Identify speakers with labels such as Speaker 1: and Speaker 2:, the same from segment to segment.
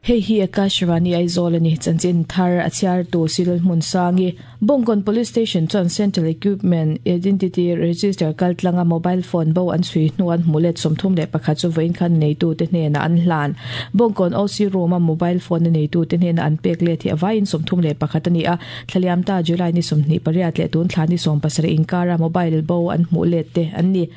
Speaker 1: Hei hi Akashvani Aizawl a ni. Chanchin thar a chhiartu Cyril Hmunsangi. Bawngkawn Police Station chuan Central Equipment Identity Register kaltlanga mobile phone bo an chhui hnu an hmuh let 31 chu vawiin khan neitute hnenah an hlan. Bawngkawn OC room a mobile phone a neitute hnena an pek let hi a vaiin 31 a ni a. Thlaliam ta July ni 28 leh tun thla ni 17 inkara mobile bo an hmuh let te an ni.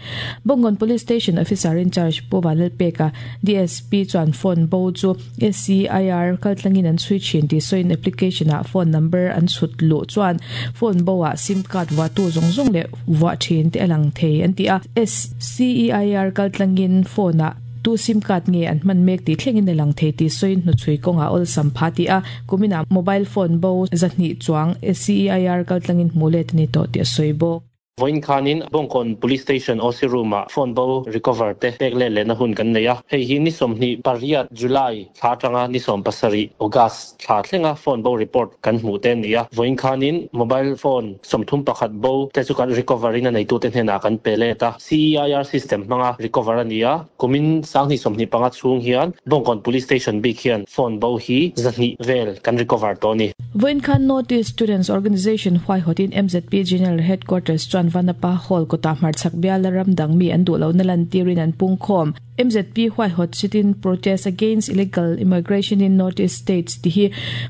Speaker 1: Bawngkawn Police Station Officer in Charge Pu Vanlalpeka, DSP chuan phone bo chu SCIR kaltlangin an chhui thin tih sawiin application ah phone number an chhut luh chuan phone bo ah sim card vuahtu zawng zawng leh vuah thin te a lang thei an ti a. SCEIR kaltlangin phone ah tu sim card nge an hman mek tih thlengin a lang thei tih sawiin hnuchhui kawngah awlsam pha ti a. Kuminah mobile phone bo 200 chuang SCEIR kaltlangin hmuh let a ni tawh tih a sawi bawk.
Speaker 2: Vawiin khanin Bawngkawn Police Station OC Room-ah phone bo recover te pek let lehna hun kan nei a. Hei hi ni 28 July thla atanga ni 17 August thla thlenga phone bo report kan hmuh te a ni a. Vawiin khanin mobile phone 31 bo te chu kan recover in a neitute hnenah kan pe let a. CEIR system hmanga recover a ni a. Kumin 2025 chhung hian Bawngkawn Police Station bik hian phone bo hi 200 vel kan recover tawh a ni.
Speaker 1: Vawiin khan North East Students Organisation huaihawtin MZP General Headquarters chuan Vanapa Hall kawtah hmarchhak biala ram dang mi an duh lohna lantirin an pungkhawm. MZP huaihawt sit-in protest against illegal immigration in North East States tih hi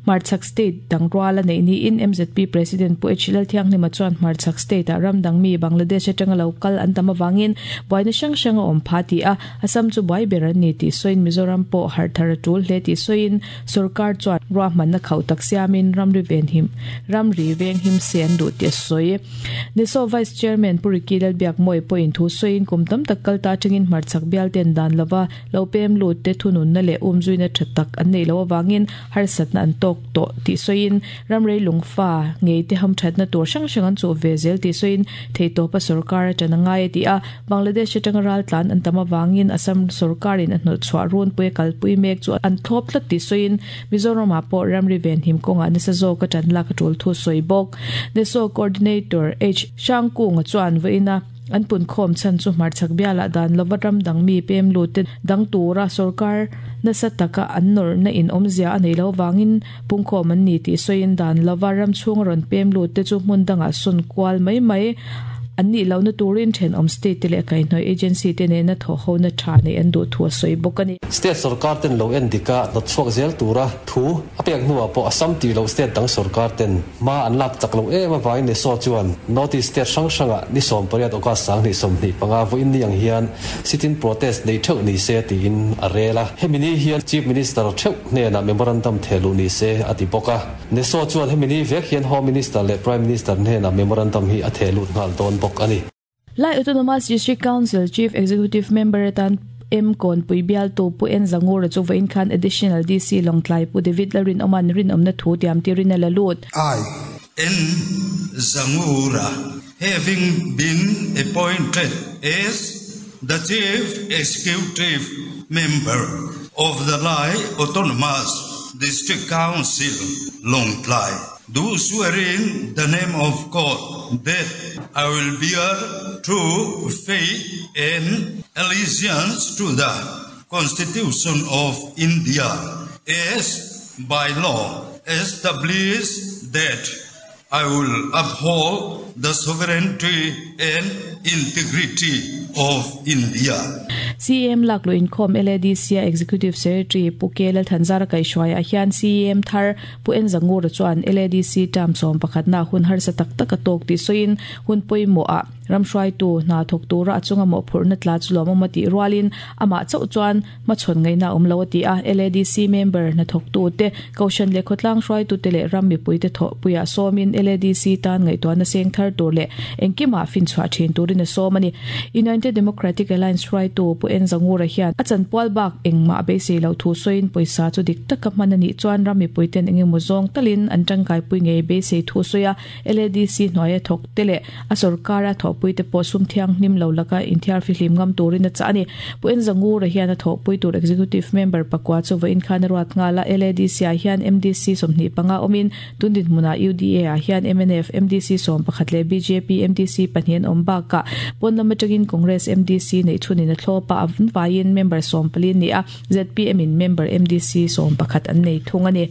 Speaker 1: hmarchhak state dang rual a neih niin MZP President Pu H Lalthianghlima chuan hmarchhak state ah ram dang mi Bangladesh atanga lo kal an tam avangin buaina hrang hrang a awm pha ti a, Assam chu buai ber an ni tih sawiin Mizoram pawh harh thar a tul hle tih sawiin Sorkar chuan ruahmanna khauh tak siamin ramri venhim ramri venghim se an duh tih a sawi. NESO Vice Chairman Pu Ricky Lalbiakmawia pawhin thu sawiin kum tam tak kal ta atangin hmarchhak bialten dan lova lo pem lut te thununna leh umzuina tha tak an neih loh avangin harsatna an tawk tawh tih sawiin ramrei lungfa ngei te hamthatna tur hrang hrang an chuh ve zel tih sawiin theihtawpa sorkar a tan a ngai a ti a. Bangladesh atanga raltlan an tam avangin Assam sorkarin a hnawhchhuah runpui a kalpui mek chu an thlawp tlat tih sawiin Mizoramah pawh ramri venhim kawngah nasa zawka tan lak a tul thu sawi bawk. NESO Coordinator H. Hrangkunga chuan vawiina an punkhawm chhan chu hmarchhak bialah dan lova ram dang mi pem lut te dang tura sorkar nasa taka an nawrhna in awmzia a neih loh avangin pungkhawm an ni tih sawiin dan lova ram chhunga rawn pem lut te chu hmun dangah sawn kual mai mai an nih lohna turin thenawm state te leh kaihhnawih agency te nena thawhhona tha neih an duh thu a sawi bawk a ni.
Speaker 3: State sorkar ten lo en dik a hnawtchhuak zel tura thu a pek hnuah pawh Assam tih loh state dang sorkar ten hma an lak chak loh em avangin NESO chuan North East state hrang hrangah ni 18 August 2025 vawiin ni ang hian sit-in protest nei theuh ni se tiin a rel a. Hemi ni hian Chief Minister theuh hnenah memorandum theh luh ni se a ti bawk a. NESO chuan hemi ni vek hian Home Minister leh Prime Minister hnenah memorandum hi a theh lut nghal dawn bawk a ni.
Speaker 1: Lai Autonomous District Council Chief Executive Member atan M Kawnpui bialtu Pu En Zangura chu vawiin khan Additional DC Lawngtlai Pu David Lalrinawma'n rinawmna thu tiam tirin a la lut.
Speaker 4: I, N Zangura having been appointed as the Chief Executive Member of the Lai Autonomous District Council, Lawngtlai, do swear in the name of God that I will bear true faith and allegiance to the Constitution of India as by law established that I will uphold the sovereignty and integrity of India.
Speaker 1: CEM lakluh inkhawm LADC-a Executive Secretary Pu K Lalthanzara kaihhruaiah hian CEM thar Pu En Zangura chuan LADC term sawmpakhatna hun harsa tak tak a tawk tih sawiin hun pawimawhah Ram hruaitu hna thawk tura a chunga mawhphurhna tla chu lawmawm a tih rualin amah chauh chuan hmachhawn ngaihna a awm lo a ti a. LADC member hnathawktute, Kohhran leh khawtlang hruaitute leh ram mipuite thawhpuiah sawmin LADC tan ngaihtuahna seng thar tur leh engkimah finchhuah thin turin a sawm a ni. United Democratic Alliance hruaitu Pu En Zangura hian a chanpual bak engmah a beisei loh thu sawiin pawisa chu dik taka hman a nih chuan ram mipuiten engemaw zawng talin an tangkaipui ngei beisei thu a sawi a. LADC hnuaia thawk te leh a sorkara thawhpuite pawh sum thianghlim lo laka inthiar fihlim ngam turin a chah a ni. Pu Enza Ngura hian a thawhpui tur Executive Member pakua chu vawiin khan a ruat nghal a, LADC ah hian MDC 25 awmin tun dinhmunah UDA ah hian mnf MDC 11 leh bjp MDC pahnih an awm bakah pawn lam atangin Congress Congress MDC nei thunin a thlopa an vaiin member 14 ni a, ZPM in member MDC 11 an nei thung ani.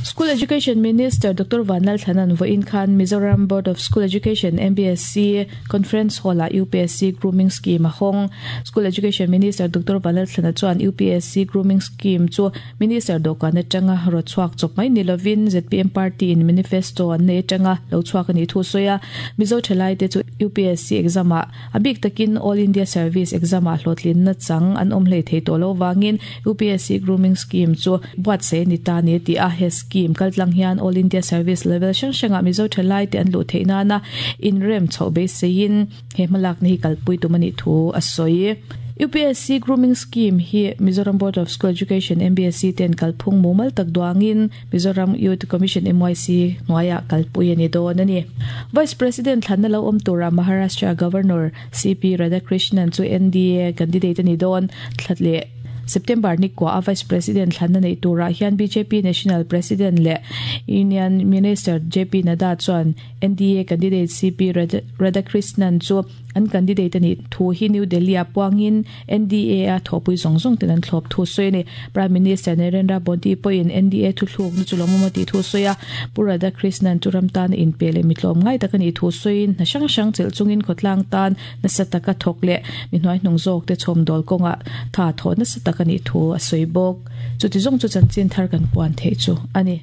Speaker 1: School Education Minister Dr. Vanlal Thanan voin khan Mizoram Board of School Education MBSC Conference Hall a UPSC Grooming Scheme a hawng. School Education Minister Dr. Vanlal Thlana chuan UPSC Grooming Scheme chu Minister dawhkan atanga rawt chhuak chawp mai ni lovin ZPM Party in manifesto an nei atanga lo chhuak a nih thu sawi a. Mizo thalai te chu UPSC exam ah a bik takin All India Service exam ah hlawhtlinna chang an awm hlei thei tawh lo vangin UPSC Grooming Scheme chu buatsaih a ni ta a ni a ti a. He scheme kaltlang hian All India Service level hrang hrangah Mizo thalai te an luh theih nana inrem chhoh beiseiin he hmalakna hi kalpui tum a nih thu a sawi. UPSC Grooming Scheme hi Mizoram Board of School Education, MBSE, ten kalphung mumal tak duangin Mizoram Youth Commission, MYC, hnuaiah kalpui a ni dawn a ni. Vice President thlanna lo awm tura Maharashtra Governor CP Radhakrishnan chu NDA candidate a ni dawn. Thla leh September ni kuah a Vice President thlanna neih turah hian bjp National President leh Union Minister JP Nadda chuan NDA candidate CP Radhakrishnan chu an candidate a nih thu hi New Delhi-ah puangin NDA-a thawhpui zawng zawng ten an thlawp thu sawi a ni. Prime Minister Narendra Modi pawhin NDA thuthlukna chu lawmawm a tih thu sawi a, Pu Radhakrishnan chu ram tana inpe leh mitlawm ngai tak a nih thu sawiin hna hrang hrang chelh chungin khawtlang tan nasa taka thawk leh mi hnuaihnung zawkte chhawmdawl kawngah tha thawh nasa tak a nih thu a sawi bawk. Chuti zawng chu chanchin thar kan puan theih chu a ni.